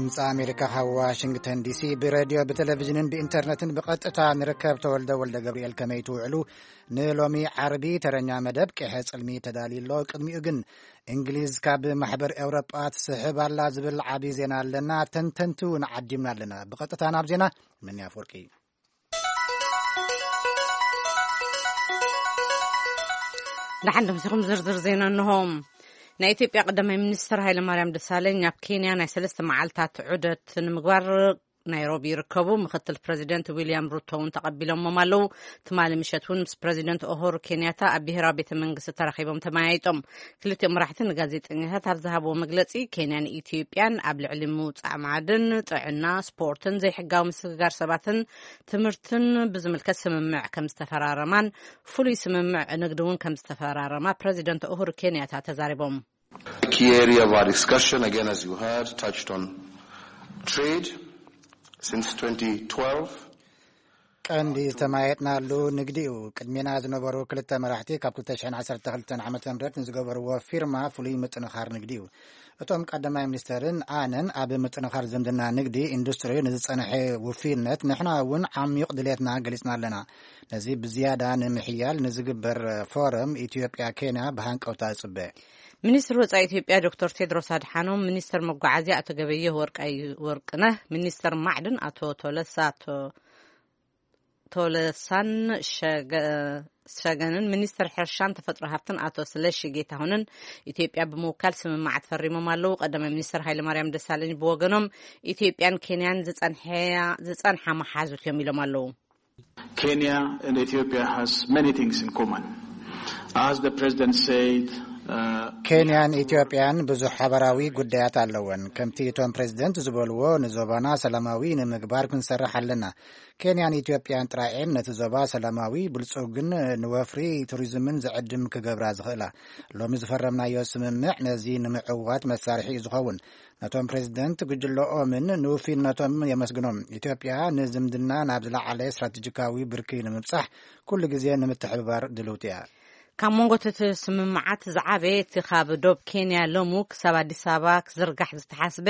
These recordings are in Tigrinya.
ድምፂ ኣሜሪካ ካብ ዋሽንግተን ዲሲ ብሬድዮ፣ ብቴሌቪዥንን ብኢንተርነትን ብቐጥታ ንርከብ። ተወልደ ወልደ ገብርኤል፣ ከመይ ትውዕሉ? ንሎሚ ዓርቢ ተረኛ መደብ ቄሐ ጽልሚ ተዳልዩ ኣሎ። ቅድሚኡ ግን፣ እንግሊዝ ካብ ማሕበር ኤውሮጳ ትስሕብ ኣላ ዝብል ዓቢ ዜና ኣለና። ተንተንቲ እውን ዓዲምና ኣለና። ብቐጥታ ናብ ዜና። መን ኣፈወርቂ። ደሓን ደምሲኹም ዝርዝር ዜና እንሆ። ናይ ኢትዮጵያ ቀዳማይ ሚኒስትር ሃይለማርያም ደሳለኝ ኣብ ኬንያ ናይ ሰለስተ መዓልታት ዑደት ንምግባር ናይሮቢ ይርከቡ። ምክትል ፕረዚደንት ዊልያም ሩቶ እውን ተቐቢሎሞም ኣለዉ። ትማሊ ምሸት እውን ምስ ፕረዚደንት ኡሁሩ ኬንያታ ኣብ ብሄራዊ ቤተ መንግስቲ ተራኺቦም ተመያይጦም። ክልቲኦም መራሕቲ ንጋዜጠኛታት ኣብ ዝሃብዎ መግለጺ፣ ኬንያን ኢትዮጵያን ኣብ ልዕሊ ምውጻእ ማዕድን፣ ጥዕና፣ ስፖርትን ዘይሕጋዊ ምስግጋር ሰባትን ትምህርትን ብዝምልከት ስምምዕ ከም ዝተፈራረማን ፍሉይ ስምምዕ ንግዲ እውን ከም ዝተፈራረማ ፕረዚደንት ኡሁሩ ኬንያታ ተዛሪቦም። Key area of our discussion, again, as you heard, touched on trade. Since twenty twelve, ቀንዲ ዝተማየጥናሉ ንግዲ እዩ። ቅድሜና ዝነበሩ ክልተ መራሕቲ ካብ ክልተ ሽሕን ዓሰርተ ክልተን ዓመተ ምህረት ንዝገበርዎ ፊርማ ፍሉይ ምጥንኻር ንግዲ እዩ። እቶም ቀዳማይ ሚኒስተርን ኣነን ኣብ ምጥንኻር ዝምድና ንግዲ ኢንዱስትሪ ንዝጸንሐ ውፍይነት ንሕና እውን ዓሚቕ ድሌትና ገሊጽና ኣለና። ነዚ ብዝያዳ ንምሕያል ንዝግበር ፎረም ኢትዮጵያ ኬንያ ብሃንቀውታ እጽበ። ሚኒስትር ወጻኢ ኢትዮጵያ ዶክተር ቴድሮስ ኣድሓኖም፣ ሚኒስትር መጓዓዝያ ኣቶ ገበየሁ ወርቃዩ ወርቅነህ፣ ሚኒስትር ማዕድን ኣቶ ቶለሳ ቶ- ቶለሳን ሸገ- ሸገንን፣ ሚኒስትር ሕርሻን ተፈጥሮ ሃብትን ኣቶ ስለሺ ጌታሁንን ኢትዮጵያ ብምውካል ስምምዓት ፈሪሞም ኣለዉ። ቀዳማይ ሚኒስትር ሃይለማርያም ደሳለኝ ብወገኖም፣ ኢትዮጵያን ኬንያን ዝጸንሐያ- ዝጸንሓ መሓዙት እዮም ኢሎም ኣለዉ። Kenya and Ethiopia has many things in common. As the president said, uh, ኬንያን ኢትዮጵያን ብዙሕ ሓበራዊ ጉዳያት ኣለወን። ከምቲ እቶም ፕሬዚደንት ዝበልዎ፣ ንዞባና ሰላማዊ ንምግባር ክንሰርሕ ኣለና። ኬንያን ኢትዮጵያን ጥራኤን ነቲ ዞባ ሰላማዊ፣ ብልጹግን ንወፍሪ ቱሪዝምን ዝዕድም ክገብራ ዝኽእላ። ሎሚ ዝፈረምናዮ ስምምዕ ነዚ ንምዕዋት መሳርሒ እዩ ዝኸውን። ነቶም ፕሬዚደንት ጉጅለኦምን ንውፍይነቶም የመስግኖም። ኢትዮጵያ ንዝምድና ናብ ዝለዓለ ስትራቴጂካዊ ብርኪ ንምብጻሕ ኩሉ ግዜ ንምትሕብባር ድልውቲ እያ። ካብ መንጎ እቲ ስምምዓት ዝዓበየ፣ እቲ ካብ ዶብ ኬንያ ሎሙ ክሳብ ኣዲስ ኣበባ ክዝርጋሕ ዝተሓስበ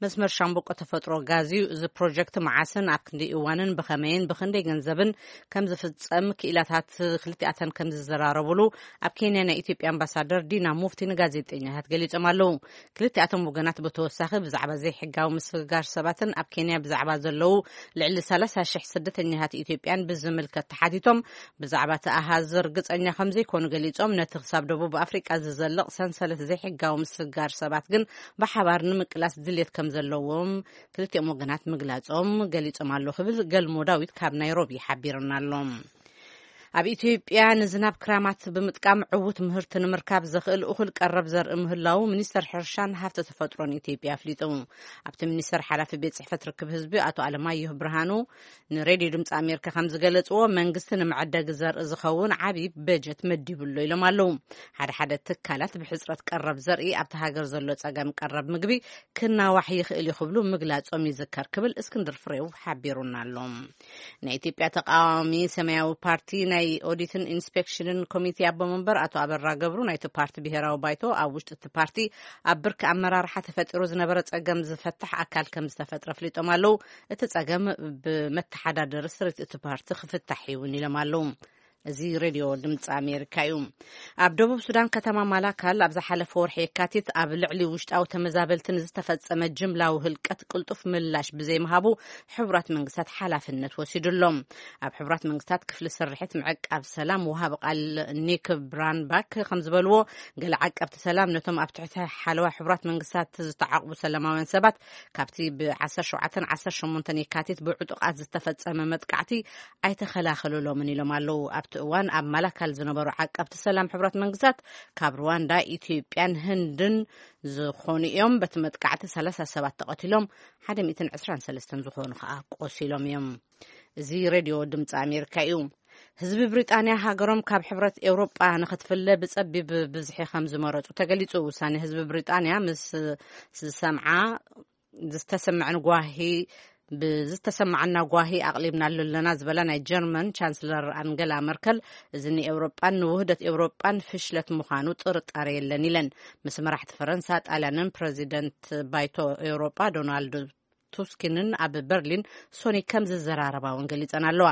መስመር ሻምብቆ ተፈጥሮ ጋዝ እዩ። እዚ ፕሮጀክት መዓስን ኣብ ክንደይ እዋንን ብኸመይን ብኽንደይ ገንዘብን ከም ዝፍጸም ክኢላታት ክልቲኣተን ከም ዝዘራረቡሉ ኣብ ኬንያ ናይ ኢትዮጵያ ኣምባሳደር ዲና ሙፍቲ ንጋዜጠኛታት ገሊጾም ኣለዉ። ክልቲኣቶም ወገናት ብተወሳኺ ብዛዕባ ዘይሕጋዊ ምስግጋር ሰባትን ኣብ ኬንያ ብዛዕባ ዘለዉ ልዕሊ ሰላሳ ሽሕ ስደተኛታት ኢትዮጵያን ብዝምልከት ተሓቲቶም፣ ብዛዕባ እቲ ኣሃዝ ርግጸኛ ከም ዘይኮኑ ገሊጾም፣ ነቲ ክሳብ ደቡብ ኣፍሪቃ ዝዘልቕ ሰንሰለት ዘይሕጋዊ ምስግጋር ሰባት ግን ብሓባር ንምቅላስ ድልየት ከም ዘለዎም ክልቲኦም ወገናት ምግላጾም ገሊጾም ኣለዉ ክብል ገልሞ ዳዊት ካብ ናይሮቢ ሓቢርና ኣሎ። ኣብ ኢትዮጵያ ንዝናብ ክራማት ብምጥቃም ዕዉት ምህርቲ ንምርካብ ዘኽእል እኹል ቀረብ ዘርኢ ምህላዉ ሚኒስተር ሕርሻን ሃፍቲ ተፈጥሮን ኢትዮጵያ ኣፍሊጡ። ኣብቲ ሚኒስተር ሓላፊ ቤት ጽሕፈት ርክብ ህዝቢ ኣቶ ኣለማየሁ ብርሃኑ ንሬድዮ ድምፂ ኣሜሪካ ከም ዝገለፅዎ፣ መንግስቲ ንመዐደጊ ዘርኢ ዝኸውን ዓብዪ በጀት መዲቡ ኣሎ ኢሎም ኣለዉ። ሓደ ሓደ ትካላት ብሕፅረት ቀረብ ዘርኢ ኣብቲ ሃገር ዘሎ ፀገም ቀረብ ምግቢ ክናዋሕ ይኽእል እዩ ክብሉ ምግላፆም ይዝከር ክብል እስክንድር ፍሬው ሓቢሩና ኣሎ። ናይ ኢትዮጵያ ተቃዋሚ ሰማያዊ ፓርቲ ናይ ኦዲትን ኢንስፔክሽንን ኮሚቴ ኣቦ መንበር ኣቶ ኣበራ ገብሩ፣ ናይቲ ፓርቲ ብሄራዊ ባይቶ ኣብ ውሽጢ እቲ ፓርቲ ኣብ ብርኪ ኣመራርሓ ተፈጢሩ ዝነበረ ጸገም ዝፈትሕ ኣካል ከም ዝተፈጥረ ኣፍሊጦም ኣለዉ። እቲ ጸገም ብመተሓዳደሪ ስሪት እቲ ፓርቲ ክፍታሕ እውን ኢሎም ኣለዉ። እዚ ሬድዮ ድምፂ ኣሜሪካ እዩ። ኣብ ደቡብ ሱዳን ከተማ ማላካል ኣብ ዝሓለፈ ወርሒ የካቲት ኣብ ልዕሊ ውሽጣዊ ተመዛበልቲ ንዝተፈጸመ ጅምላዊ ህልቀት ቅልጡፍ ምላሽ ብዘይምሃቡ ሕቡራት መንግስታት ሓላፍነት ወሲዱ ኣሎ። ኣብ ሕቡራት መንግስታት ክፍሊ ስርሒት ምዕቃብ ሰላም ወሃቢ ቃል ኒክ ብራንባክ ከም ዝበልዎ፣ ገለ ዓቀብቲ ሰላም ነቶም ኣብ ትሕቲ ሓለዋ ሕቡራት መንግስታት ዝተዓቕቡ ሰላማውያን ሰባት ካብቲ ብ ዓሰርተ ሸውዓተን ዓሰርተ ሸሞንተን የካቲት ብዕጡቓት ዝተፈጸመ መጥቃዕቲ ኣይተኸላኸሉሎምን ኢሎም ኣለዉ። ኣብቲ እዋን ኣብ ማላካል ዝነበሩ ዓቀብቲ ሰላም ሕቡራት መንግስታት ካብ ሩዋንዳ፣ ኢትዮጵያን ህንድን ዝኾኑ እዮም። በቲ መጥቃዕቲ ሰላሳ ሰባት ተቐቲሎም፣ ሓደ ሚእትን ዕስራን ሰለስተን ዝኾኑ ከዓ ቆሲሎም እዮም። እዚ ሬድዮ ድምፂ ኣሜሪካ እዩ። ህዝቢ ብሪጣንያ ሃገሮም ካብ ሕብረት ኤውሮጳ ንኽትፍለ ብጸቢብ ብዝሒ ከም ዝመረጹ ተገሊጹ። ውሳኔ ህዝቢ ብሪጣንያ ምስ ዝሰምዓ ዝተሰምዐን ጓሂ ብዝተሰማዓና ጓሂ ኣቕሊብናሉ ኣለና ዝበላ ናይ ጀርመን ቻንስለር ኣንገላ መርከል፣ እዚ ንኤውሮጳን ንውህደት ኤውሮጳን ፍሽለት ምዃኑ ጥርጣረ የለን ኢለን። ምስ መራሕቲ ፈረንሳ፣ ጣልያንን ፕረዚደንት ባይቶ ኤውሮጳ ዶናልድ ቱስኪንን ኣብ በርሊን ሶኒ ከም ዝዘራረባ እውን ገሊጸን ኣለዋ።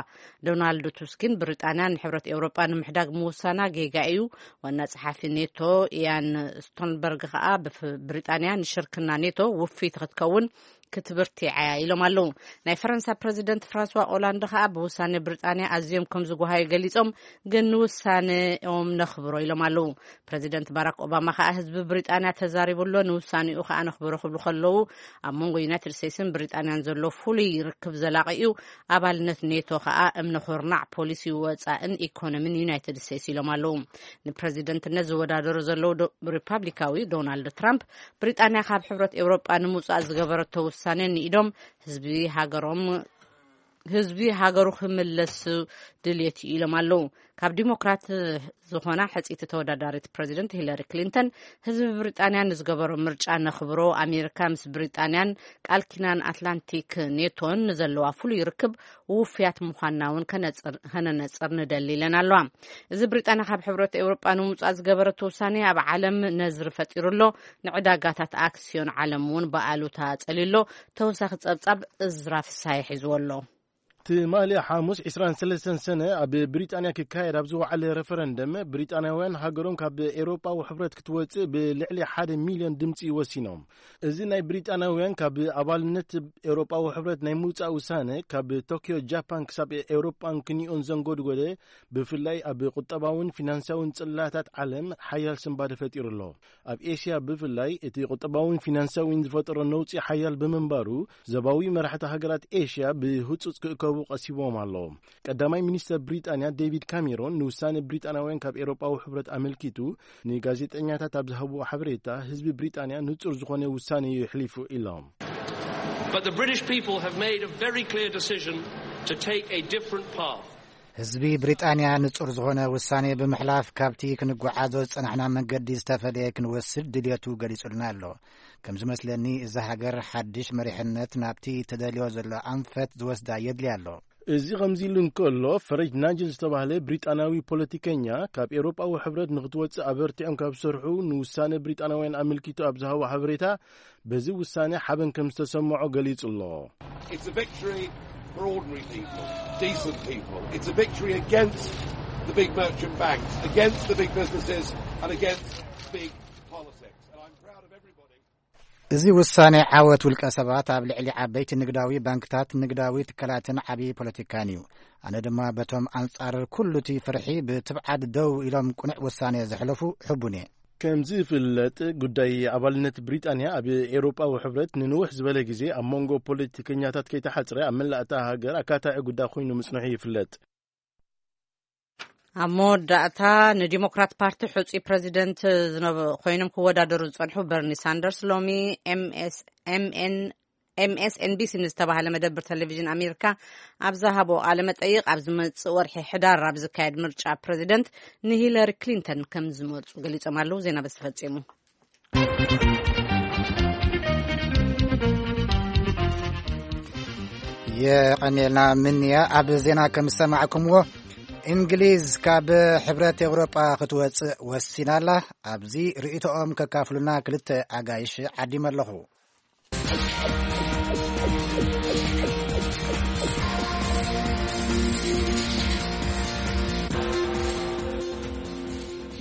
ዶናልድ ቱስኪን ብሪጣንያ ንሕብረት ኤውሮጳ ንምሕዳግ ምውሳና ጌጋ እዩ። ዋና ጸሓፊ ኔቶ ኢያን ስቶልተንበርግ ከኣ ብፍ-፣ ብሪጣንያ ንሽርክና ኔቶ ውፍይቲ ክትከውን ክትብርትዓ ኢሎም ኣለዉ። ናይ ፈረንሳ ፕረዚደንት ፍራንስዋ ኦላንድ ከኣ ብውሳኔ ብሪጣንያ ኣዝዮም ከም ዝጓሃዩ ገሊጾም፣ ግን ንውሳኔኦም ነኽብሮ ኢሎም ኣለዉ። ፕረዚደንት ባራክ ኦባማ ከኣ ህዝቢ ብሪጣንያ ተዛሪቡ ኣሎ፣ ንውሳኔኡ ከኣ ነኽብሮ ክብሉ ከለዉ፣ ኣብ መንጎ ዩናይትድ ስቴትስን ብሪጣንያን ዘሎ ፍሉይ ርክብ ዘላቒ እዩ፣ ኣባልነት ኔቶ ከኣ እምነ ኩርናዕ ፖሊሲ ወጻእን ኢኮኖሚን ዩናይትድ ስቴትስ ኢሎም ኣለዉ። ንፕረዚደንትነት ዝወዳደሩ ዘለዉ ዶ-፣ ሪፓብሊካዊ ዶናልድ ትራምፕ ብሪጣንያ ካብ ሕብረት ኤውሮጳ ንምውጻእ ዝገበረቶ ውሳኔ ንኢዶም ህዝቢ ሃገሮም ህዝቢ ሃገሩ ክምለስ ድልየት እዩ ኢሎም ኣለዉ። ካብ ዲሞክራት ዝኾና ሕጽይቲ ተወዳዳሪት ፕረዚደንት ሂለሪ ክሊንተን ህዝቢ ብሪጣንያ ንዝገበሮ ምርጫ ነኽብሮ፣ ኣሜሪካ ምስ ብሪጣንያን ቃል ኪዳን ኣትላንቲክ ኔቶን ንዘለዋ ፍሉይ ርክብ ውፍያት ምዃንና እውን ከነጽር-፣ ከነነጽር ንደሊ ኢለን ኣለዋ። እዚ ብሪጣንያ ካብ ሕብረት ኤውሮጳ ንምውጻእ ዝገበረቶ ውሳኔ ኣብ ዓለም ነዝሪ ፈጢሩ ኣሎ። ንዕዳጋታት ኣክስዮን ዓለም እውን ብኣሉታ ጸልዩ ኣሎ። ተወሳኺ ጸብጻብ እዝራ ፍሳሐ ሒዝዎ ኣሎ። ትማሊ ሓሙስ ዕስራን ሰለስተን ሰነ ኣብ ብሪጣንያ ክካየድ ኣብ ዝወዓለ ሬፈረንደም፣ ብሪጣንያውያን ሃገሮም ካብ ኤውሮጳዊ ሕብረት ክትወጽእ ብልዕሊ ሓደ ሚልዮን ድምጺ ወሲኖም። እዚ ናይ ብሪጣንያውያን ካብ ኣባልነት ኤውሮጳዊ ሕብረት ናይ ምውጻእ ውሳነ፣ ካብ ቶክዮ ጃፓን ክሳብ ኤውሮጳን ክንዮን ዘንጎድጎደ፣ ብፍላይ ኣብ ቁጠባውን ፊናንሳውን ጽላታት ዓለም ሓያል ስንባደ ፈጢሩ ኣሎ። ኣብ ኤሽያ ብፍላይ እቲ ቁጠባውን ፊናንሳዊን ዝፈጠሮ ነውጺ ሓያል ብምንባሩ፣ ዞባዊ መራሕቲ ሃገራት ኤሽያ ብህጹጽ ክእከቡ ቀሲቦም ኣሎ። ቀዳማይ ሚኒስተር ብሪጣንያ ዴቪድ ካሜሮን ንውሳኔ ብሪጣንያውያን ካብ ኤውሮጳዊ ሕብረት ኣመልኪቱ ንጋዜጠኛታት ኣብ ዝሃብዎ ሓበሬታ፣ ህዝቢ ብሪጣንያ ንጹር ዝኾነ ውሳኔ እዩ የሕሊፉ ኢሎም። But the British people have made a very clear decision to take a different path. ህዝቢ ብሪጣንያ ንጹር ዝኾነ ውሳኔ ብምሕላፍ፣ ካብቲ ክንጓዓዞ ዝጸናሕና መንገዲ ዝተፈለየ ክንወስድ ድልየቱ ገሊጹልና ኣሎ። ከም ዝመስለኒ፣ እዛ ሃገር ሓድሽ መሪሕነት ናብቲ ተደልዮ ዘሎ ኣንፈት ዝወስዳ የድልያ ኣሎ። እዚ ከምዚ ኢሉ እንከሎ፣ ፈረጅ ናጅል ዝተባህለ ብሪጣንያዊ ፖለቲከኛ፣ ካብ ኤውሮጳዊ ሕብረት ንክትወጽእ ኣበርቲዖም ካብ ዝሰርሑ ንውሳነ ብሪጣንያውያን ኣመልኪቱ ኣብ ዝሃቦ ሓበሬታ፣ በዚ ውሳነ ሓበን ከም ዝተሰምዖ ገሊጹ ኣሎ። It's a victory for ordinary people, decent people. It's a victory against the big merchant banks, against the big businesses, and against big politics. And I'm proud of everybody. እዚ ውሳኔ ዓወት ውልቀ ሰባት ኣብ ልዕሊ ዓበይቲ ንግዳዊ ባንክታት፣ ንግዳዊ ትካላትን ዓቢ ፖለቲካን እዩ። ኣነ ድማ በቶም ኣንጻር ኩሉ እቲ ፍርሒ ብትብዓት ደው ኢሎም ቅኑዕ ውሳኔ ዘሕለፉ ሕቡን እየ። ከም ዝፍለጥ፣ ጉዳይ ኣባልነት ብሪጣንያ ኣብ ኤውሮጳዊ ሕብረት ንንውሕ ዝበለ ግዜ ኣብ መንጎ ፖለቲከኛታት ከይተሓጽረ፣ ኣብ መላእ እታ ሃገር ኣካታዒ ጉዳይ ኮይኑ ምጽንሑ ይፍለጥ። ኣብ መወዳእታ፣ ንዲሞክራት ፓርቲ ሕጹይ ፕረዚደንት ዝነበ ኮይኖም ክወዳደሩ ዝጸንሑ በርኒ ሳንደርስ፣ ሎሚ ኤምኤስ፣ ኤምኤን፣ ኤምኤስኤንቢሲ ንዝተባህለ መደብር ቴሌቪዥን ኣሜሪካ ኣብ ዝሃቦ ቃለ መጠይቕ፣ ኣብ ዝመጽእ ወርሒ ሕዳር ኣብ ዝካየድ ምርጫ ፕረዚደንት ንሂለሪ ክሊንተን ከም ዝመርጹ ገሊጾም ኣለዉ። ዜና በዚ ተፈጺሙ። የቐኔልና ምንያ። ኣብ ዜና ከም ዝሰማዕኩምዎ፣ እንግሊዝ ካብ ሕብረት ኤውሮጳ ክትወጽእ ወሲና ኣላ። ኣብዚ ርእይቶኦም ከካፍሉና ክልተ ኣጋይሽ ዓዲመ ኣለኹ።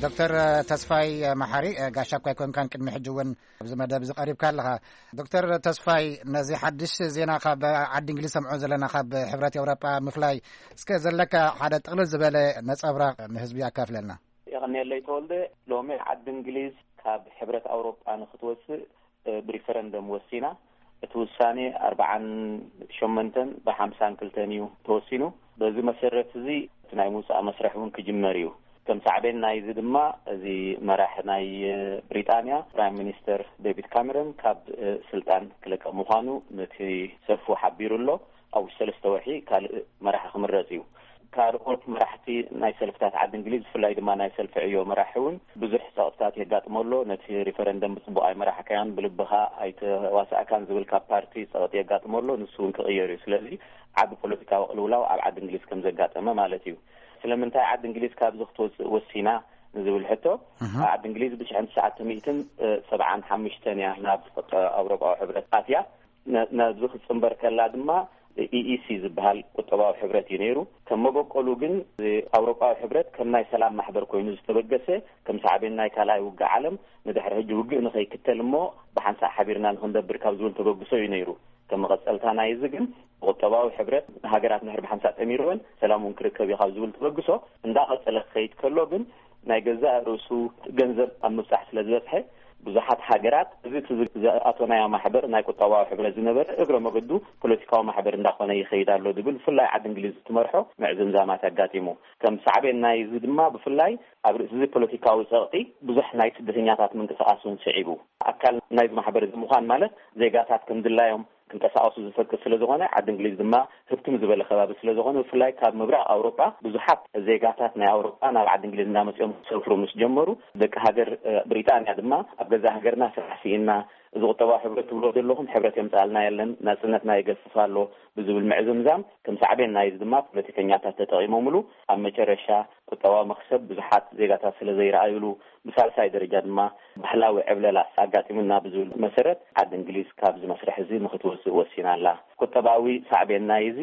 ዶክተር ተስፋይ መሓሪ፣ ጋሻ እኳ ኣይኮንካን፣ ቅድሚ ሕጂ እውን ኣብዚ መደብ እዚ ቀሪብካ ኣለኻ። ዶክተር ተስፋይ፣ ነዚ ሓድሽ ዜና ካብ ዓዲ እንግሊዝ ሰምዖ ዘለና፣ ካብ ሕብረት ኤውሮጳ ምፍላይ፣ እስከ ዘለካ ሓደ ጥቕልል ዝበለ ነጸብራቕ ንህዝቢ ኣካፍለልና። የቐንየለይ ተወልደ። ሎሚ ዓዲ እንግሊዝ ካብ ሕብረት ኣውሮጳ ንክትወፅእ፣ እ፣ ብሪፈረንደም ወሲና። እቲ ውሳኔ ኣርባዓን ሸሞንተን ብሓምሳን ክልተን እዩ ተወሲኑ። በዚ መሰረት እዚ እቲ ናይ ምውፃእ መስርሕ እውን ክጅመር እዩ። ከም ሳዕቤን ናይዚ ድማ፣ እዚ መራሕ ናይ፣ እ፣ ብሪጣንያ ፕራይም ሚኒስተር ዴቪድ ካሜሮን ካብ፣ እ፣ ስልጣን ክለቀቕ ምዃኑ ነቲ ሰልፉ ሓቢሩ ኣሎ። ኣብ ውሽጢ ሰለስተ ወርሒ ካልእ መራሒ ክምረጽ እዩ። ካልኦት መራሕቲ ናይ ሰልፍታት ዓዲ እንግሊዝ፣ ብፍላይ ድማ ናይ ሰልፊ ዕዮ መራሒ እውን ብዙሕ ጸቕጥታት የጋጥሞ ኣሎ። ነቲ ሪፈረንደም ብጽቡቕ ኣይመራሕካዮን፣ ብልብኻ ኣይተዋሳእካን ዝብል ካብ ፓርቲ ጸቕጢ የጋጥሞ ኣሎ። ንሱ እውን ክቕየር እዩ። ስለዚ ዓቢ ፖለቲካዊ ቅልውላው ኣብ ዓዲ እንግሊዝ ከም ዘጋጠመ ማለት እዩ። ስለምንታይ ዓዲ እንግሊዝ ካብዚ ክትወጽእ ወሲና ንዝብል ሕቶ፣ እህ። ዓዲ እንግሊዝ ብሽሕን ትሽዓተ ሚእትን ሰብዓን ሓሙሽተን እያ ናብ ኣውሮጳዊ ሕብረት ኣትያ። ነ- ነዚ ክጽንበር ከላ ድማ ኢኢሲ ዝበሃል ቁጠባዊ ሕብረት እዩ ነይሩ። ከም መበቆሉ ግን ኣውሮጳዊ ሕብረት ከም ናይ ሰላም ማሕበር ኮይኑ ዝተበገሰ፣ ከም ሳዕቤን ናይ ካልኣይ ውግእ ዓለም ንድሕሪ ሕጂ ውግእ ንኸይክተል እሞ ብሓንሳእ ሓቢርና ንኽንደብር ካብ ዝብል ተበግሶ እዩ ነይሩ። ከም መቐጸልታ ናይ እዚ ግን ቁጠባዊ ሕብረት ሃገራት ንድሕር ብሓንሳእ ጠሚርወን ሰላም እውን ክርከብ እዩ ካብ ዝብል ተበግሶ እንዳቐጸለ ክኸይድ ከሎ ግን ናይ ገዛእ ርእሱ ገንዘብ ኣብ ምብጻሕ ስለ ዝበጽሐ ብዙሓት ሃገራት እዚ እቲ ዝኣቶናዮ ማሕበር ናይ ቁጠባዊ ሕብረት ዝነበረ እግረ መገዱ ፖለቲካዊ ማሕበር እንዳኾነ ይኸይድ ኣሎ ዝብል ብፍላይ ዓዲ እንግሊዝ እትመርሖ ምዕዝምዛማት ኣጋጢሙ። ከም ሳዕቤን ናይ እዚ ድማ ብፍላይ ኣብ ርእሲ እዚ ፖለቲካዊ ጸቕጢ ብዙሕ ናይ ስደተኛታት ምንቅስቓስ እውን ስዒቡ። ኣካል ናይዚ ማሕበር እዚ ምዃን ማለት ዜጋታት ከም ድላዮም ክንቀሳቐሱ ዝፈቅድ ስለ ዝኾነ ዓዲ እንግሊዝ ድማ ህብትም ዝበለ ከባቢ ስለ ዝኾነ ብፍላይ ካብ ምብራቕ ኣውሮጳ ብዙሓት ዜጋታት ናይ ኣውሮጳ ናብ ዓዲ እንግሊዝ እንዳመፅኦም ክሰፍሩ ምስ ጀመሩ ደቂ ሃገር ብሪጣንያ ድማ ኣብ ገዛ ሃገርና ስራሕ ስኢና እዚ ቁጠባዊ ሕብረት ትብሎ ዘለኹም ሕብረት የምፅኣልና የለን፣ ናፅነትና ይገስስ ኣሎ ብዝብል ምዕዝምዛም ከም ሳዕቤን ናይዚ ድማ ፖለቲከኛታት ተጠቒሞምሉ ኣብ መጨረሻ ቁጠባዊ መኽሰብ ብዙሓት ዜጋታት ስለ ዘይረኣዩሉ ብሳልሳይ ደረጃ ድማ ባህላዊ ዕብለላ ኣጋጢሙና ብዝብል መሰረት ዓዲ እንግሊዝ ካብዚ መስርሕ እዚ ንክትወፅእ ወሲና ኣላ። ቁጠባዊ ሳዕቤን ናይ እዚ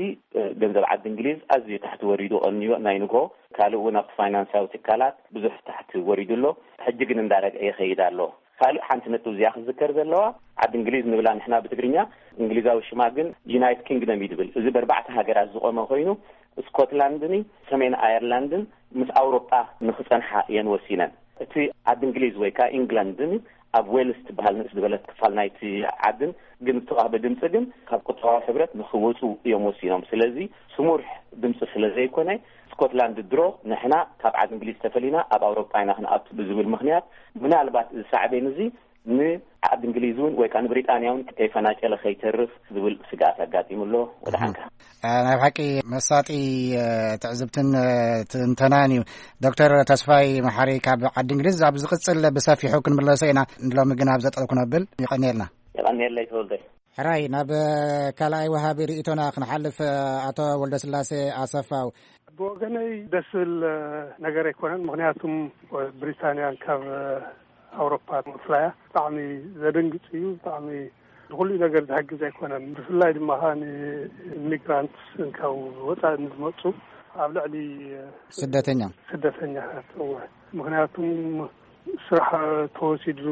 ገንዘብ ዓዲ እንግሊዝ ኣዝዩ ታሕቲ ወሪዱ ቀንዮ ናይ ንግሆ ካልእ እውን ኣብቲ ፋይናንሳዊ ትካላት ብዙሕ ታሕቲ ወሪዱ ኣሎ። ሕጂ ግን እንዳረግዐ ይኸይድ ኣሎ። ካልእ ሓንቲ ነጥብ እዚኣ ክዝከር ዘለዋ ዓዲ እንግሊዝ ንብላ ንሕና ብትግርኛ እንግሊዛዊ ሽማ ግን ዩናይት ኪንግደም እዩ ድብል። እዚ በርባዕተ ሃገራት ዝቆመ ኮይኑ ስኮትላንድን ሰሜን ኣየርላንድን ምስ ኣውሮጳ ንክጸንሓ እየን ወሲነን። እቲ ዓዲ እንግሊዝ ወይ ከዓ ኢንግላንድን ኣብ ዌልስ ትበሃል ንእስ ዝበለት ክፋል ናይቲ ዓድን ግን ዝተዋህበ ድምፂ ግን ካብ ቁጠባዊ ሕብረት ንክወፁ እዮም ወሲኖም። ስለዚ ስሙር ድምፂ ስለ ዘይኮነ ስኮትላንድ ድሮ ንሕና ካብ ዓዲ እንግሊዝ ተፈሊና ኣብ ኣውሮጳ ኢና ክንኣቱ ብዝብል ምክንያት ምናልባት እዚ ሳዕቤን እዚ ንዓዲ እንግሊዝ እውን ወይ ከዓ ንብሪጣንያ እውን ከይፈናጨለ ከይተርፍ ዝብል ስግኣት ኣጋጢሙ ኣሎ። ወደ ሓንካ ናይ ብሓቂ መሳጢ ትዕዝብትን ትንተናን እዩ። ዶክተር ተስፋይ መሓሪ ካብ ዓዲ እንግሊዝ ኣብ ዝቕፅል ብሰፊሑ ክንምለሶ ኢና። ንሎሚ ግን ኣብ ዘጠልኩ ነብል። ይቐንየልና። የቐንየለይ ተወልደ። ሕራይ ናብ ካልኣይ ወሃቢ ርእቶና ክንሓልፍ። ኣቶ ወልደስላሴ ኣሰፋው። ብወገነይ ደስ ዝብል ነገር ኣይኮነን። ምክንያቱም ብሪታንያን ካብ ኣውሮፓ ምፍላያ ብጣዕሚ ዘደንግፅ እዩ። ብጣዕሚ ንኩሉ ነገር ዝሕግዝ ኣይኮነን። ብፍላይ ድማ ከዓ ንኢሚግራንት ካብ ወፃኢ ንዝመፁ ኣብ ልዕሊ ስደተኛ ስደተኛታት እወ። ምክንያቱም ስራሕ ተወሲዱ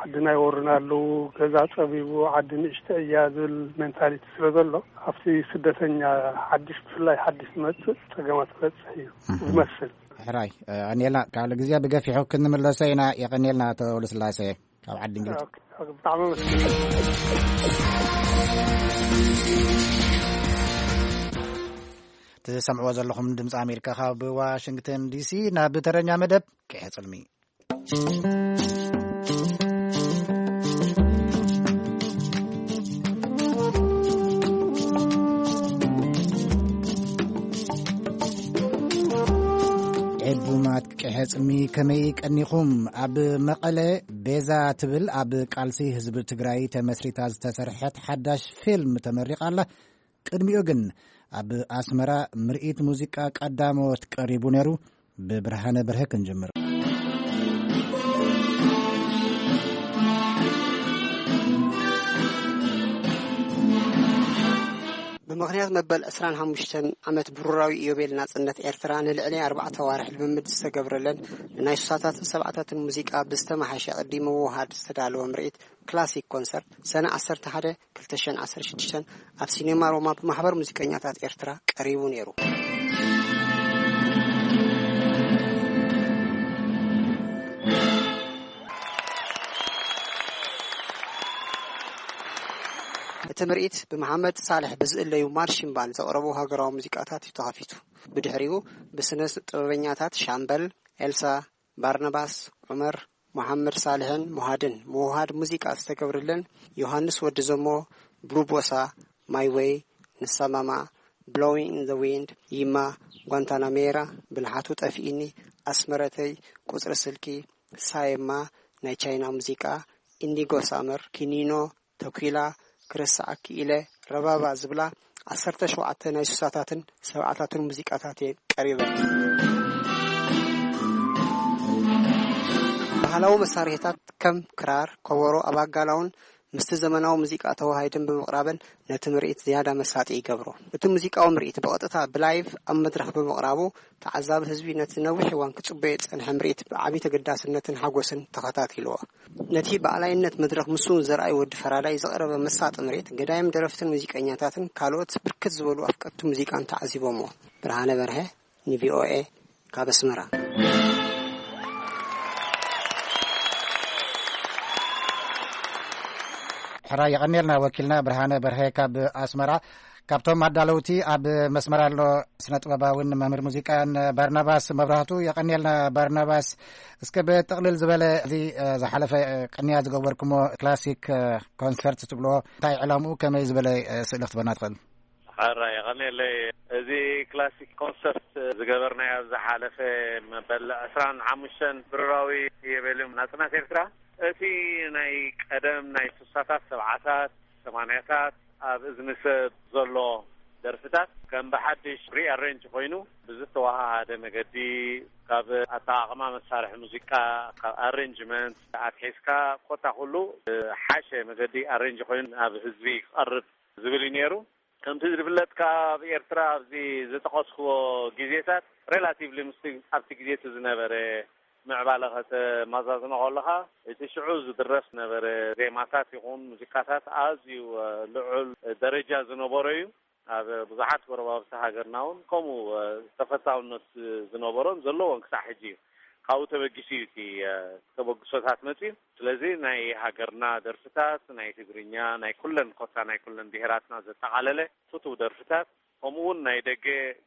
ዓድና ይወሩና ኣለዉ፣ ገዛ ፀቢቡ ዓዲ ንእሽተ እያ ዝብል ሜንታሊቲ ስለ ዘሎ ኣብቲ ስደተኛ ሓድሽ ብፍላይ ሓድሽ ዝመፅእ ፀገማት ክበፅሕ እዩ ዝመስል። ሕራይ ኣኔልና ካልእ ግዜ ብገፊሑ ክንምለሶ ኢና። የቐኔልና ኣቶ ወልደስላሴ ካብ ዓዲ እንግሊዝ። ብጣዕሚ ኣመስግን። ትሰምዕዎ ዘለኹም ድምፂ ኣሜሪካ ካብ ዋሽንግተን ዲሲ። ናብ ተረኛ መደብ ቅሐ ፅልሚ። ዕቡማት ቅሐ ፅልሚ ከመይ ቀኒኹም? ኣብ መቐለ ቤዛ ትብል ኣብ ቃልሲ ህዝቢ ትግራይ ተመስሪታ ዝተሰርሐት ሓዳሽ ፊልም ተመሪቓ ኣላ። ቅድሚኡ ግን ኣብ ኣስመራ ምርኢት ሙዚቃ ቀዳሞት ቀሪቡ ነይሩ። ብብርሃነ በርሀ ክንጅምር። ብምኽንያት መበል ዕስራን ሓሙሽተን ዓመት ብሩራዊ ኢዮቤል ናጽነት ኤርትራ ንልዕሊ ኣርባዕተ ኣዋርሕ ልምምድ ዝተገብረለን ንናይ ሱሳታትን ሰብዓታትን ሙዚቃ ብዝተመሓሸ ቅዲ ምውህሃድ ዝተዳለወ ምርኢት ክላሲክ ኮንሰርት ሰነ ዓሰርተ ሓደ ክልተ ሽሕን ዓሰርተ ሽዱሽተን ኣብ ሲኔማ ሮማ ብማሕበር ሙዚቀኛታት ኤርትራ ቀሪቡ ነይሩ። እቲ ምርኢት ብመሓመድ ሳልሕ ብዝእለዩ ማርሺን ባንድ ዘቕረቡ ሃገራዊ ሙዚቃታት እዩ ተኸፊቱ። ብድሕሪኡ ብስነ ጥበበኛታት ሻምበል ኤልሳ፣ ባርናባስ፣ ዑመር፣ መሓመድ ሳልሕን ሙሃድን ምውሃድ ሙዚቃ ዝተገብርለን ዮሃንስ ወዲ ዘሞ፣ ብሉቦሳ፣ ማይ ዌይ፣ ንሳ ማማ፣ ብሎዊንግ ኢን ዘ ዊንድ፣ ይማ፣ ጓንታናሜራ፣ ብልሓቱ ጠፊእኒ፣ ኣስመረተይ፣ ቁፅሪ ስልኪ፣ ሳየማ፣ ናይ ቻይና ሙዚቃ፣ ኢንዲጎ ሳመር፣ ኪኒኖ፣ ተኲላ፣ ክረስዓኪ ኢለ፣ ረባባ ዝብላ ዓሰርተ ሸውዓተ ናይ ሱሳታትን ሰብዓታትን ሙዚቃታት እየን ቀሪበን። ባህላዊ መሳርሒታት ከም ክራር፣ ከበሮ፣ ኣባጋላውን ምስቲ ዘመናዊ ሙዚቃ ተወሃሂደን ብምቕራበን ነቲ ምርኢት ዝያዳ መሳጢ ይገብሮ። እቲ ሙዚቃዊ ምርኢት ብቐጥታ ብላይቭ ኣብ መድረኽ ብምቕራቡ፣ ተዓዛቢ ህዝቢ ነቲ ነዊሕ እዋን ክጽበዮ ዝጸንሐ ምርኢት ብዓቢ ተገዳስነትን ሓጎስን ተኸታቲልዎ። ነቲ ብኣላይነት መድረኽ ምስ ዘርኣይ ወዲ ፈራዳይ ዝቐረበ መሳጢ ምርኢት፣ ገዳይም ደረፍትን ሙዚቀኛታትን ካልኦት ብርክት ዝበሉ ኣፍቀርቲ ሙዚቃን ተዓዚቦምዎ። ብርሃነ በርሀ፣ ንቪኦኤ፣ ካብ ኣስመራ። ሕራይ የቐንየልና ወኪልና ብርሃነ በርሀ ካብ ኣስመራ። ካብቶም ኣዳለውቲ ኣብ መስመር ኣሎ ስነ ጥበባውን መምህር ሙዚቃን ባርናባስ መብራህቱ። የቐንየልና ባርናባስ። እስከ ብጥቕልል ዝበለ እዚ፣ እ፣ ዝሓለፈ፣ እ፣ ቅንያ ዝገበርኩሞ ክላሲክ፣ እ፣ ኮንሰርት ትብሎ እንታይ ዕላምኡ፣ ከመይ ዝበለ፣ እ፣ ስእሊ ክትበና ትኽእል? ሕራይ የቐንየለይ። እዚ ክላሲክ ኮንሰርት ዝገበርናዮ ኣብ ዝሓለፈ መበል ዕስራን ሓሙሽተን ብሩራዊ የቤልዩም ናጽናት ኤርትራ፣ እቲ ናይ ቀደም ናይ ስሳታት፣ ሰብዓታት፣ ሰማንያታት ኣብ እዝኒ ሰብ ዘሎ ደርፍታት ከም ብሓድሽ ሪኣሬንጅ ኮይኑ ብዝተወሃሃደ መገዲ፣ ካብ ኣጠቓቕማ መሳርሒ ሙዚቃ፣ ካብ ኣሬንጅመንት ኣትሒዝካ፣ ኮታ ኩሉ ብሓሸ መገዲ ኣሬንጅ ኮይኑ ናብ ህዝቢ ክቐርብ ዝብል እዩ ነይሩ። ከምቲ ዝፍለጥ፣ ካብ ኤርትራ ኣብዚ ዝጠቐስክዎ ግዜታት፣ ሬላቲቭሊ ምስቲ ኣብቲ ግዜ እቲ ዝነበረ ምዕባለ ከተመዛዝኖ ከለኻ፣ እቲ ሽዑ ዝድረፍ ዝነበረ ዜማታት ይኹን ሙዚቃታት ኣዝዩ፣ እ፣ ልዑል ደረጃ ዝነበሮ እዩ። ኣብ ብዙሓት ጎረባብቲ ሃገርና እውን ከምኡ፣ እ፣ ተፈታውነት ዝነበሮን ዘለዎን ክሳዕ ሕጂ እዩ። ካብኡ ተበጊሱ እዩ እቲ፣ እ፣ ተበግሶታት መፅዩ። ስለዚ ናይ ሃገርና ደርፍታት፣ ናይ ትግርኛ፣ ናይ ኩለን፣ ኮታ ናይ ኩለን ብሄራትና ዘጠቓለለ ፍቱው ደርፍታት፣ ከምኡ እውን ናይ ደገ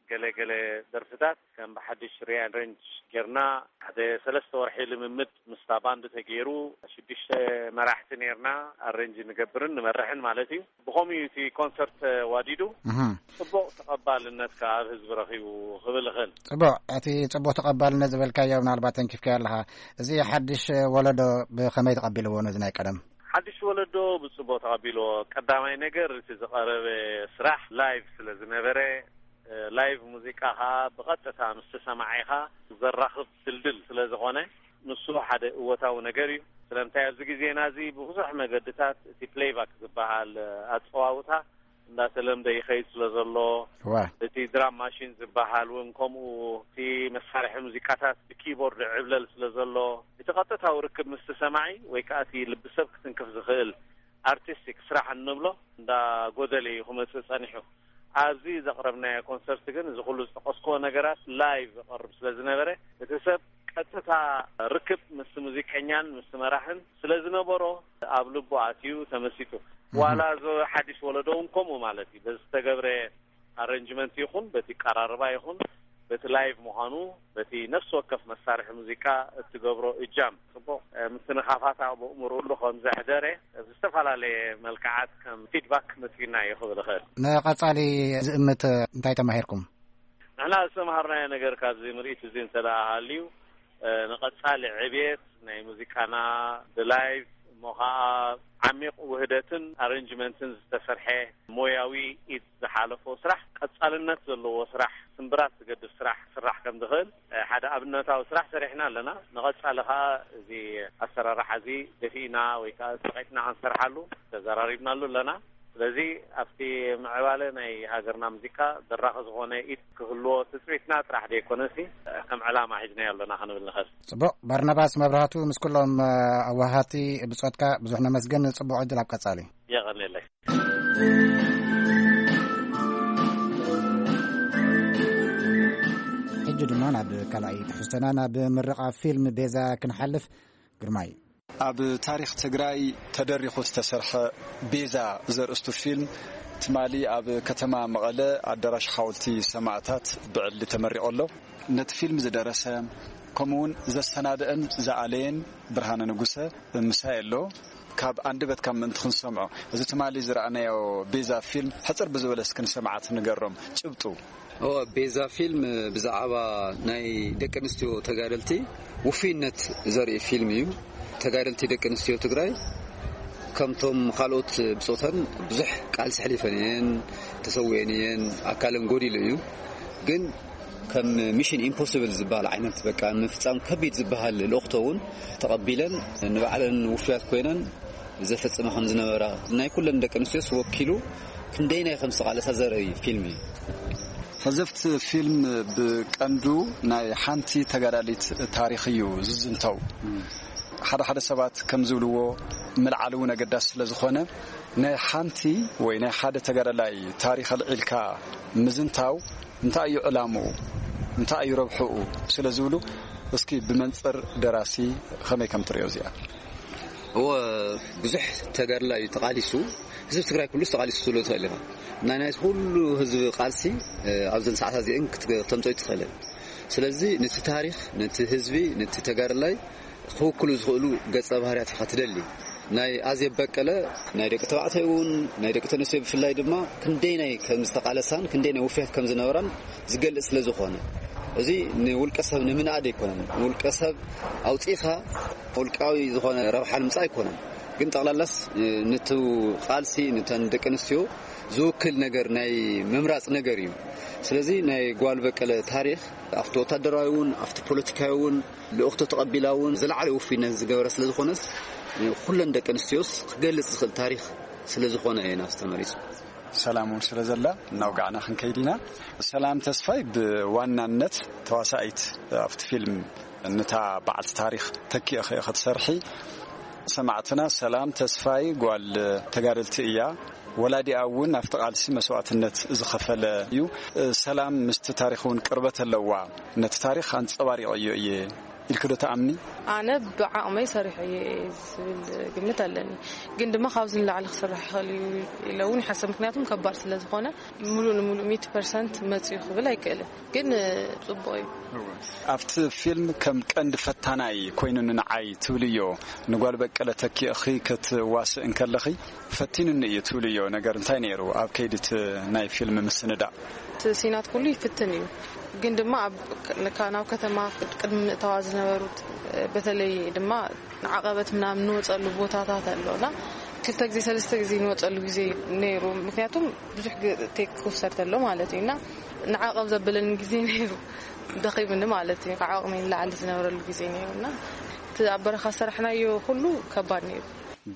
ገለ ገለ ደርፍታት ከም ብሓድሽ ሪኣሬንጅ ጌርና፣ ሓደ ሰለስተ ወርሒ ልምምድ ምስታ ባንድ ተገይሩ፣ ሽዱሽተ መራሕቲ ኔርና፣ ኣሬንጅ ንገብርን ንመርሕን ማለት እዩ። ብኸምኡ እዩ እቲ ኮንሰርት ተዋዲዱ። እህ። ጽቡቕ ተቐባልነት ከኣ ኣብ ህዝቢ ረኺቡ ክብል እኽእል። ጽቡቕ፣ እቲ ጽቡቕ ተቐባልነት ዝበልካዮ ምናልባት ተንኪፍካዮ ኣለኻ። እዚ ሓድሽ ወለዶ ብኸመይ ተቐቢልዎ ነዚ ናይ ቀደም? ሓድሽ ወለዶ ብጽቡቕ ተቐቢልዎ። ቀዳማይ ነገር፣ እቲ ዝቐረበ ስራሕ ላይቭ ስለ ዝነበረ፣ እ፣ ላይቭ ሙዚቃ ከኣ ብቐጥታ ምስ ተሰማዒኻ ዘራኽብ ድልድል ስለ ዝኾነ፣ ንሱ ሓደ እወታዊ ነገር እዩ። ስለምንታይ፣ ኣብዚ ግዜና እዚ ብብዙሕ መገድታት እቲ ፕሌይባክ ዝበሃል፣ እ፣ ኣጸዋውታ እንዳተለምደ ይኸይድ ስለ ዘሎ፣ እዋ። እቲ ድራም ማሽን ዝበሃል እውን ከምኡ፣ እቲ መሳርሒ ሙዚቃታት ብኪቦርድ ዕብለል ስለ ዘሎ፣ እቲ ቀጥታዊ ርክብ ምስቲ ሰማዒ ወይ ከኣ እቲ ልቢ ሰብ ክትንክፍ ዝኽእል ኣርቲስቲክ ስራሕ እንብሎ እንዳጎደለ እዩ ክመጽእ ጸኒሑ። ኣብዚ ዘቕረብናዮ ኮንሰርት ግን እዚ ኩሉ ዝጠቐስክዎ ነገራት ላይቭ ይቐርብ ስለ ዝነበረ፣ እቲ ሰብ ቀጥታ ርክብ ምስ ሙዚቀኛን ምስ መራሕን ስለ ዝነበሮ፣ ኣብ ልቡ ኣትዩ ተመሲጡ። እህ። ዋላ እዚ ሓድሽ ወለዶ እውን ከምኡ ማለት እዩ። በዚ ዝተገብረ ኣረንጅመንት ይኹን፣ በቲ ቀራርባ ይኹን፣ በቲ ላይቭ ምዃኑ፣ በቲ ነፍሲ ወከፍ መሳርሒ ሙዚቃ እትገብሮ እጃም፣ ጽቡቕ፣ እ፣ ምትንኻፋት ኣብ ኣእምሮኡ ከም ዘሕደረ፣ ብዝተፈላለየ መልክዓት ከም ፊድባክ መጺኡና እዩ ክብል እኽእል። ንቐጻሊ ዝእምት እንታይ ተማሂርኩም? ንሕና ዝተምሃርናዮ ነገር ካብዚ ምርኢት እዚ እንተ ደኣ ሃልዩ፣ እ፣ ንቐጻሊ ዕብየት ናይ ሙዚቃና ብላይቭ እሞ ኸኣ ዓሚቕ ውህደትን ኣረንጅመንትን ዝተሰርሐ ሞያዊ ኢድ ዝሓለፎ ስራሕ፣ ቀጻልነት ዘለዎ ስራሕ፣ ስምብራት ዝገድፍ ስራሕ ክስራሕ ከም ዝኽእል፣ እ፣ ሓደ ኣብነታዊ ስራሕ ሰሪሕና ኣለና። ንቐጻሊ ኸኣ እዚ ኣሰራርሓ እዚ ደፊእና ወይ ከኣ ጸቒጥና ክንሰርሓሉ ተዘራሪብናሉ ኣለና። ስለዚ ኣብቲ ምዕባለ ናይ ሃገርና ሙዚቃ ዘራኺ ዝኾነ ኢድ ክህልዎ ትጽቢትና ጥራሕ ዘይኮነሲ፣ ከም ዕላማ ሒዝናዮ ኣለና ክንብል ንኽእል። ጽቡቕ። ባርናባስ መብራህቱ፣ ምስ ኩሎም፣ እ፣ ኣዋሃቲ ብጾትካ ብዙሕ ነመስግን። ጽቡቕ ዕድል ኣብ ቀጻሊ። የቐንየለይ። ሕጂ ድማ ናብ ካልኣይ ትሕዝቶና፣ ናብ ምርቓ ፊልም ቤዛ ክንሓልፍ። ግርማይ። ኣብ ታሪኽ ትግራይ ተደሪኹ ዝተሰርሐ ቤዛ ዘርእስቱ ፊልም ትማሊ ኣብ ከተማ መቐለ ኣዳራሽ ሓወልቲ ሰማእታት ብዕሊ ተመሪቑ ኣሎ። ነቲ ፊልም ዝደረሰ፣ ከምኡውን ዘሰናደአን ዝኣለየን ብርሃነ ንጉሰ ምሳይ ኣሎ። ካብ ኣንደበትካ ምእንቲ ክንሰምዖ፣ እዚ ትማሊ ዝረኣናዮ ቤዛ ፊልም ሕጽር ብዝበለ እስኪ ንሰማዕቲ ንገሮም ጭብጡ። ኦ፣ ቤዛ ፊልም ብዛዕባ ናይ ደቂ ኣንስትዮ ተጋደልቲ ውፉይነት ዘርኢ ፊልም እዩ። ተጋደልቲ ደቂ ኣንስትዮ ትግራይ ከምቶም ካልኦት ብጾተን ብዙሕ ቃልሲ ኣሕሊፈን እየን፣ ተሰዊአን እየን፣ ኣካለን ጎዲሉ እዩ። ግን ከም ሚሽን ኢምፖስብል ዝበሃል ዓይነት፣ በቃ፣ ንምፍጻም ከቢድ ዝበሃል ልእኽቶ እውን ተቐቢለን፣ ንባዕለን ውፉያት ኮይነን ዘፈጽማ ከም ዝነበራ፣ ናይ ኩለን ደቂ ኣንስትዮስ ወኪሉ ክንደይናይ ከም ዝተቓለሳ ዘርኢ ፊልም እዩ። ፈዘፍቲ ፊልም ብቀንዱ ናይ ሓንቲ ተጋዳሊት ታሪኽ እዩ ዝዝንተው። ሓደ ሓደ ሰባት ከም ዝብልዎ፣ ምልዓል እውን ኣገዳሲ ስለ ዝኾነ፣ ናይ ሓንቲ ወይ ናይ ሓደ ተጋዳላይ ታሪኽ ኣልዒልካ ምዝንታው እንታይ እዩ ዕላምኡ፣ እንታይ እዩ ረብሕኡ ስለ ዝብሉ፣ እስኪ ብመንጽር ደራሲ ከመይ ከም ትርእዮ እዚኣ? እወ፣ ብዙሕ ተጋድላ እዩ ተቓሊሱ። ህዝቢ ትግራይ ኩሉስ ተቓሊሱ ትብሎ ትኽእል ኢኻ። ናይ ናይ ኩሉ ህዝቢ ቃልሲ፣ እ፣ ኣብዘን ሰዓታት እዚአን ክት-፣ ክተምፅኦ ኣይትኽእልን። ስለዚ ነቲ ታሪኽ፣ ነቲ ህዝቢ፣ ነቲ ተጋድላይ ክውክሉ ዝኽእሉ ገጸ ባህርያት ኢኻ ትደሊ። ናይ ኣዜብ በቀለ ናይ ደቂ ተባዕታይ እውን ናይ ደቂ ተነስትዮ ብፍላይ ድማ ክንደይናይ ከም ዝተቓለሳን ክንደይናይ ውፍያት ከም ዝነበራን ዝገልጽ ስለ ዝኾነ፣ እዚ ንውልቀ ሰብ ንምንኣድ ኣይኮነን። ውልቀ ሰብ ኣውጺእኻ ውልቃዊ ዝኾነ ረብሓ ንምጻእ ኣይኮነን። ግን ጠቕላላስ፣ እ፣ ነቲ ቃልሲ፣ ነተን ደቂ ኣንስትዮ ዝውክል ነገር ናይ ምምራጽ ነገር እዩ። ስለዚ ናይ ጓል በቀለ ታሪኽ ኣብቲ ወታደራዊ እውን ኣብቲ ፖለቲካዊ እውን ልእኽቶ ተቐቢላ እውን ዝለዓለ ውፉይነት ዝገበረ ስለ ዝኾነስ፣ እ፣ ኩለን ደቂ ኣንስትዮስ ክገልጽ ዝኽእል ታሪኽ ስለ ዝኾነ እየን ኣብዚ ተመሪጹ። ሰላም እውን ስለ ዘላ እናውጋዕና ክንከይድ ኢና። ሰላም ተስፋይ ብዋናነት ተዋሳኢት ኣብቲ ፊልም፣ ነታ በዓልቲ ታሪኽ ተኪእኺ ክትሰርሒ። ሰማዕትና፣ ሰላም ተስፋይ ጓል ተጋደልቲ እያ። ወላዲኣ እውን ኣብቲ ቃልሲ መስዋዕትነት ዝኸፈለ እዩ። ሰላም ምስቲ ታሪኽ እውን ቅርበት ኣለዋ። ነቲ ታሪኽ ኣንጸባሪቐዮ እየ ኢልኪ ዶ ትኣምኒ? ኣነ ብዓቕመይ ሰሪሐ እየ ዝብል ግምት ኣለኒ። ግን ድማ ካብዚ ንላዕሊ ክስራሕ ይኽእል እዩ ኢለ እውን ይሓስብ። ምክንያቱም ከባድ ስለ ዝኾነ፣ ምሉእ ንምሉእ ሚእቲ ፐርሰንት መጽዩ ክብል ኣይክእልን። ግን ጽቡቕ እዩ። ኣብቲ ፊልም ከም ቀንዲ ፈታናይ ኮይኑ ንዓይ ትብልዮ፣ ንጓል በቀለ ተኪእኺ ክትዋስእ እንከለኺ ፈቲኑኒ እዩ ትብልዮ ነገር እንታይ ነይሩ ኣብ ከይዲ እቲ ናይ ፊልም ምስንዳእ? እቲ ሲናት ኩሉ ይፍትን እዩ። ግን ድማ ኣብ ከ-፣ ካብ፣ ናብ ከተማ ቅድሚ ምእታዋ ዝነበሩት፣ በተለይ ድማ ንዓቐበት ምናምን ንወፀሉ ቦታታት ኣሎና። ክልተ ግዜ፣ ሰለስተ ግዜ ንወፀሉ ግዜ ነይሩ። ምክንያቱም ብዙሕ ግ-፣ ቴክ ክውሰድ ተሎ ማለት እዩ። እና ንዓቐብ ዘበለኒ ግዜ ነይሩ። ደኺምኒ ማለት እዩ። ካብ ዓቕመይ ንላዕሊ ዝነበረሉ ግዜ ነይሩ። እና እቲ ኣብ በረኻ ዝሰራሕናዮ ኩሉ ከባድ ነይሩ።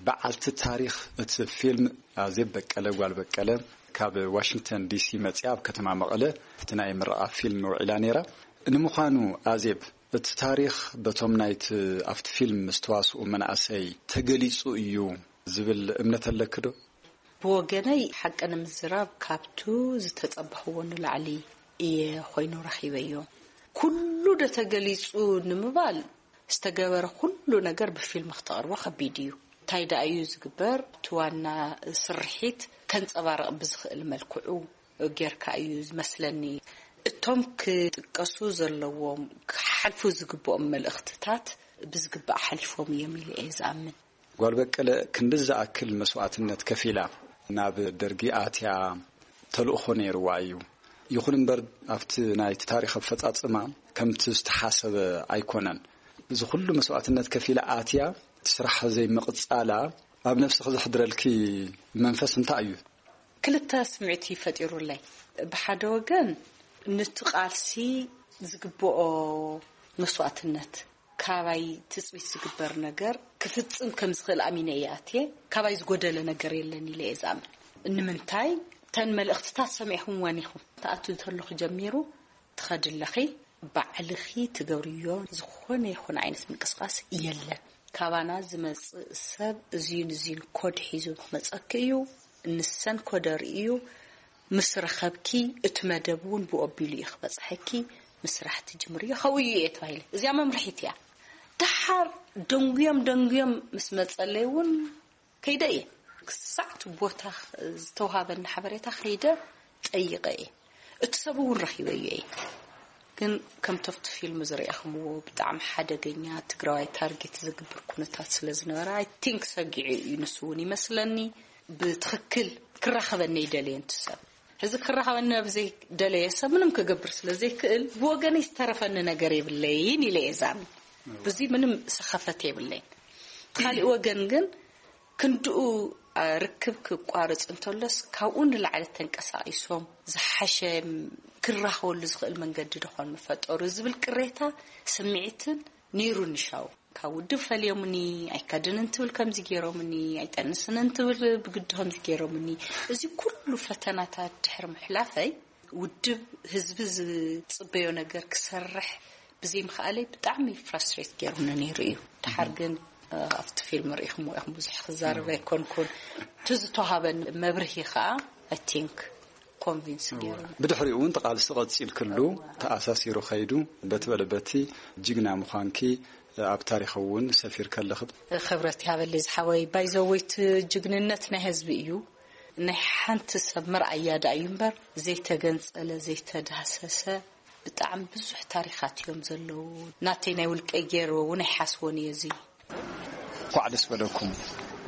በዓልቲ ታሪኽ እቲ ፊልም ኣዜብ በቀለ፣ ጓል በቀለ፣ ካብ ዋሽንግተን ዲሲ መጺኣ ኣብ ከተማ መቐለ ኣብቲ ናይ ምረቓ ፊልም ውዒላ ነይራ። ንምዃኑ ኣዜብ፣ እቲ ታሪኽ በቶም ናይቲ ኣብቲ ፊልም ዝተዋስኡ መናእሰይ ተገሊጹ እዩ ዝብል እምነት ኣለኪ ዶ? ብወገነይ፣ ሓቂ ንምዝራብ፣ ካብቱ ዝተጸበኽዎ ንላዕሊ እየ ኮይኑ ረኺበዮ። ኩሉ ዶ ተገሊጹ ንምባል፣ ዝተገበረ ኩሉ ነገር ብፊልም ክተቕርቦ ከቢድ እዩ። እንታይ ደኣ እዩ ዝግበር? እቲ ዋና ስርሒት ከንጸባርቕ ብዝኽእል መልክዑ ጌርካ እዩ ዝመስለኒ። እቶም ክጥቀሱ ዘለዎም፣ ክሓልፉ ዝግብኦም መልእኽትታት ብዝግባእ ሓሊፎም እዮም ኢለ እየ ዝኣምን። ጓል በቀለ ክንዲ ዝኣክል መስዋዕትነት ከፊላ ናብ ደርጊ ኣትያ ተልእኾ ነይርዋ እዩ። ይኹን እምበር ኣብቲ ናይቲ ታሪኽ ኣፈጻጽማ ከምቲ ዝተሓሰበ ኣይኮነን። እዚ ኩሉ መስዋዕትነት ከፊላ ኣትያ እቲ ስራሕ ዘይምቕጻላ ኣብ ነፍስኺ ዘሕድረልኪ መንፈስ እንታይ እዩ? ክልተ ስምዒት እዩ ፈጢሩለይ። ብሓደ ወገን ነቲ ቃልሲ ዝግብኦ መስዋዕትነት፣ ካባይ ትጽቢት ዝግበር ነገር ክፍጽም ከም ዝኽእል ኣሚነ እየ ኣትየ። ካባይ ዝጎደለ ነገር የለን ኢለ እየ ዝኣምን። ንምንታይ? እተን መልእኽትታት ሰሚዕኹምወን ኢኹም። ትኣትዊ ተለኹ ጀሚሩ ትኸዲ ኣለኺ። ባዕልኺ ትገብርዮ ዝኾነ ይኹን ዓይነት ምንቅስቓስ የለን። ካባና ዝመጽእ ሰብ እዚን እዚን ኮድ ሒዙ ክመጸኪ እዩ። ንሰን ኮደ ርእዩ ምስ ረኸብኪ፣ እቲ መደብ እውን ብኡ ኣቢሉ እዩ ክበጽሐኪ። ምስራሕ ትጅምርዮ። ከብኡ እዩ እየ ተባሂለ። እዚኣ መምርሒት እያ። ደሓር ደንጉዮም ደንጉዮም ምስ መጸለይ እውን ከይደ እየ። ክሳዕ እቲ ቦታ ዝተውሃበኒ ሓበሬታ ከይደ ጠይቐ እየ። እቲ ሰብ እውን ረኺበዮ እየ። ግን ከምቲ ኣብቲ ፊልም ዝረኣኹምዎ ብጣዕሚ ሓደገኛ ትግራዋይ ታርጌት ዝግብር ኩነታት ስለ ዝነበረ፣ I think ሰጊዑ እዩ ንሱ እውን ይመስለኒ። ብትኽክል ክራኸበኒ ኣይደለየን እቲ ሰብ። ሕዚ ክራኸበኒ ኣብ ዘይደለየ ሰብ ምንም ክገብር ስለ ዘይክእል፣ ብወገነይ ዝተረፈኒ ነገር የብለይን ኢለ እየ ዝኣምን። ብዚ ምንም ሰኸፈት የብለይን። እቲ ካሊእ ወገን ግን ክንድኡ፣ አ፣ ርክብ ክቋረጽ እንተሎስ ካብኡ ንላዕሊ ተንቀሳቒሶም ዝሓሸ ክራኸበሉ ዝኽእል መንገዲ ዶ ኾን ምፈጠሩ ዝብል ቅሬታ ስምዒትን ነይሩኒ ሻው። ካብ ውድብ ፈልዮምኒ፣ ኣይካድንን ትብል ከምዚ ገይሮምኒ፣ ኣይጠንስንን ትብል ብግዲ ከምዚ ገይሮምኒ። እዚ ኩሉ ፈተናታት ድሕሪ ምሕላፈይ፣ ውድብ ህዝቢ ዝጽበዮ ነገር ክሰርሕ ብዘይምኽኣለይ ብጣዕሚ ፍራስትሬት ገይሩኒ ነይሩ እዩ። ድሓር ግን ኣብቲ ፊልም ርኢኹምዎ ኢኹም፣ ብዙሕ ክዛረብ ኣይኮንኩን። እቲ ዝተዋሃበኒ መብርሂ ከዓ፣ ኣይ ቲንክ፣ ኮንቪንስ ገይሩ። ብድሕሪኡ እውን ተቓልሲ ቀፂልክሉ፣ ተኣሳሲሩ ከይዱ፣ በቲ በለ በቲ ጅግና ምዃንኪ ኣብ ታሪኽ እውን ሰፊር ከለኽ። ክብረት ይሃበለይ ዝሓወይ። ባይዘወይት ጅግንነት ናይ ህዝቢ እዩ። ናይ ሓንቲ ሰብ መርኣያ ደኣ እዩ እምበር፣ ዘይተገንጸለ፣ ዘይተዳህሰሰ ብጣዕሚ ብዙሕ ታሪኻት እዮም ዘለዉ። ናተይ ናይ ውልቀይ ገይርዎ እውን ኣይሓስቦን እየ እዚ። እንኳዕ ደስ በለኩም።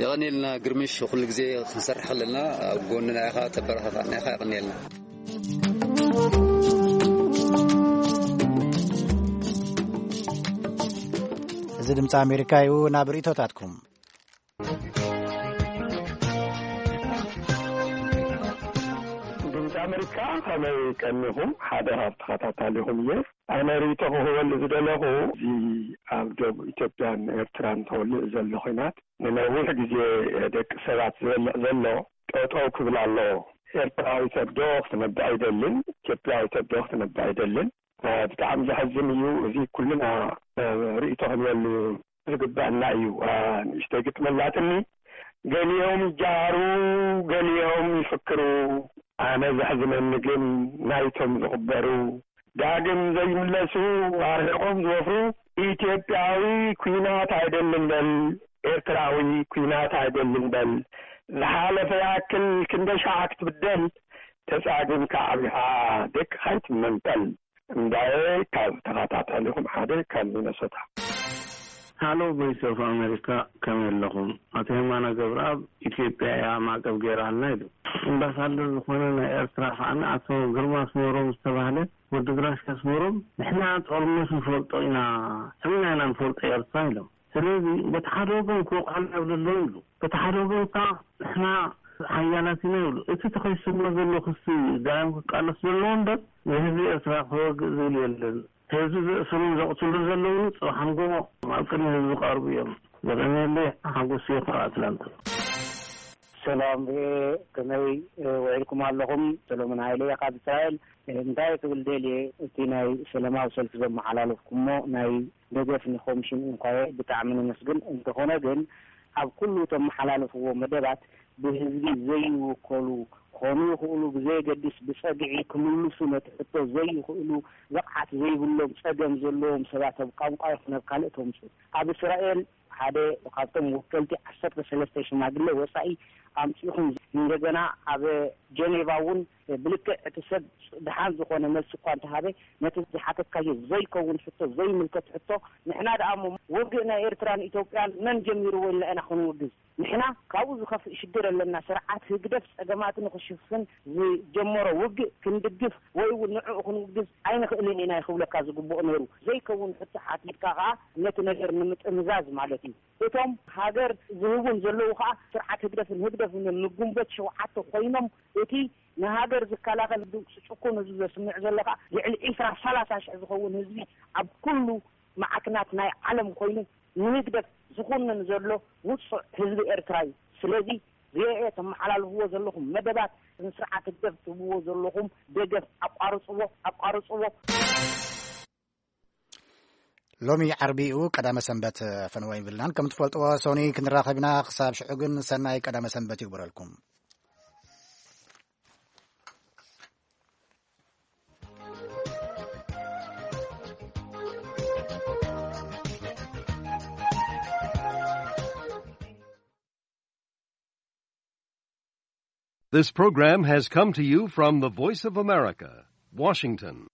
የቐንየልና ግርምሽ፣ ኩሉ ግዜ ክንሰርሕ ከለና ኣብ ጎንና ኢኻ፣ ተበረታታዕና ኢኻ። የቐንየልና። እዚ ድምፂ ኣሜሪካ እዩ። ናብ ርእይቶታትኩም። ድምፂ ኣሜሪካ፣ ከመይ ቀኒኹም? ሓደ ካብ ተኸታታሊኹም እየ። ኣነ ርእይቶ ክህበሉ ዝደለኹ፣ እዚ ኣብ ደቡብ ኢትዮጵያን ኤርትራን ተወሊዑ ዘሎ ኲናት፣ ንነዊሕ ግዜ ደቂ ሰባት ዝበልዕ ዘሎ፣ ጠጠው ክብል ኣለዎ። ኤርትራዊ ሰብ ዶ ክትነብዕ ኣይደልን? ኢትዮጵያዊ ሰብ ዶ ክትነብዕ ኣይደልን? እ፣ ብጣዕሚ ዘሕዝን እዩ። እዚ ኩልና፣ እ፣ ርእይቶ ክንበሉ ዝግባአና እዩ። እ፣ ንእሽተይ ግጥም ኣላትኒ። ገሊኦም ይጃሃሩ፣ ገሊኦም ይፍክሩ። ኣነ ዘሕዝነኒ ግን ናይቶም ዝቕበሩ፣ ዳግም ዘይምለሱ፣ ኣርሒቖም ዝወፍሩ። ኢትዮጵያዊ ኲናት ኣይደልን በል፣ ኤርትራዊ ኲናት ኣይደልን በል። ዝሓለፈ ይኣክል ክንደይ ሻዕ ክትብደል፣ ተጻጊምካ ዓቢኻ ደቅኻ ኣይትመንጠል። እንዳየ ካብ ተኸታታሊኹም ሓደ ካብ ሚነሶታ። ሃሎ ቮይስ ኦፍ ኣሜሪካ፣ ከመይ ኣለኹም? ኣቶ የማነ ገብረኣብ፣ ኢትዮጵያ እያ ማዕቀብ ገይራልና ኢሉ። ኣምባሳደር ዝኾነ ናይ ኤርትራ ከዓኒ ኣቶ ግርማ ኣስመሮም ዝተባህለ ወዲ ድራሽ ኣስመሮም፣ ንሕና ጦርነት ንፈልጦ ኢና፣ ሕልና ኢና ንፈልጦ ኤርትራ ኢሎም። ስለዚ በቲ ሓደ ወገን ክወቕዑና ይብሉ ኣለዉ ኢሉ። በቲ ሓደ ወገን ከኣ ንሕና ሓያላት ኢና ይብሉ። እቲ ተኸሲስና ዘሎ ክሲ ዳግም ክቃለስ ዘለዎ እምበር ንህዝቢ ኤርትራ ከወግእ ዝብል የለን። ህዝቢ ዘእስሩን ዘቕትሉን ዘለዉ ጽባሕ ንግሆ ኣብ ቅድሚ ህዝቢ ክቐርቡ እዮም። ዘቐነየለይ ሓጎስ እየ ካብ ኣትላንታ። ሰላም ርኤ፣ ከመይ ውዒልኩም ኣለኹም? ሰሎሞን ሃይለ እየ ካብ እስራኤል። እንታይ ክብል ደልየ፣ እቲ ናይ ሰላማዊ ሰልፊ ዘመሓላለፍኩሞ ናይ ደገፍ ንኮሚሽን እንኳየ ብጣዕሚ ነመስግን። እንተኾነ ግን ኣብ ኩሉ ተመሓላልፍዎ መደባት ብህዝቢ ዘይውከሉ ክኾኑ ይኽእሉ፣ ብዘየገድስ ብጸግዒ ክምልሱ ነቲ ሕቶ ዘይኽእሉ፣ ብቕዓት ዘይብሎም፣ ጸገም ዘለዎም ሰባት ኣብ ቋንቋ ይኹን ኣብ ካልእ ተምጽኡ። ኣብ እስራኤል ሓደ ካብቶም ወከልቲ ዓሰርተ ሰለስተ ሽማግለ ወጻኢ ኣምጺእኹም፣ እንደገና ኣብ ጀኔቫ እውን ብልክዕ እቲ ሰብ ደሓን ዝኾነ መልሲ እኳ እንተሃበ፣ ነቲ ዝሓተትካዮ ዘይከውን ሕቶ፣ ዘይምልከት ሕቶ፣ ንሕና ደኣ እሞ ውግእ ናይ ኤርትራን ኢትዮጵያን መን ጀሚርዎ ኢልና ኢና ክንውግዝ? ንሕና ካብኡ ዝኸፍእ ሽግር ኣለና። ስርዓት ህግደፍ ጸገማት ንኽሽፍን ዝጀመሮ ውግእ ክንድግፍ ወይ እውን ንዕኡ ክንውግዝ ኣይንኽእልን ኢና እዩ ክብለካ ዝግብኦ ነይሩ። ዘይከውን ሕቶ ሓቲትካ ከኣ ነቲ ነገር ንምጥምዛዝ ማለት እዩ። እቶም ሃገር ዝህቡን ዘለዉ ከኣ ስርዓት ህግደፍን ህግደፍን እዮም። ንግንቦት ሸውዓተ ኮይኖም እቲ ንሃገር ዝከላኸል ድምፂ ጭቁን ህዝቢ ዘስምዕ ዘሎ ከኣ ልዕሊ ዒስራ ሰላሳ ሽሕ ዝኸውን ህዝቢ ኣብ ኩሉ ማዕክናት ናይ ዓለም ኮይኑ ንህግደፍ ዝኹንን ዘሎ ውጹዕ ህዝቢ ኤርትራ እዩ። ስለዚ ርኤ ተመሓላልፍዎ ዘለኹም መደባት ንስርዓት ህግደፍ ትህብዎ ዘለኹም ደገፍ ኣቋርጽዎ፣ ኣቋርጽዎ። ሎሚ ዓርቢ እዩ፣ ቀዳመ ሰንበት ፈነወ ይብልናን። ከም ትፈልጥዎ ሶኒ ክንራኸብ ኢና። ክሳብ ሽዑ ግን ሰናይ ቀዳመ ሰንበት ይግበረልኩም። This program has come to you from the Voice of America, Washington.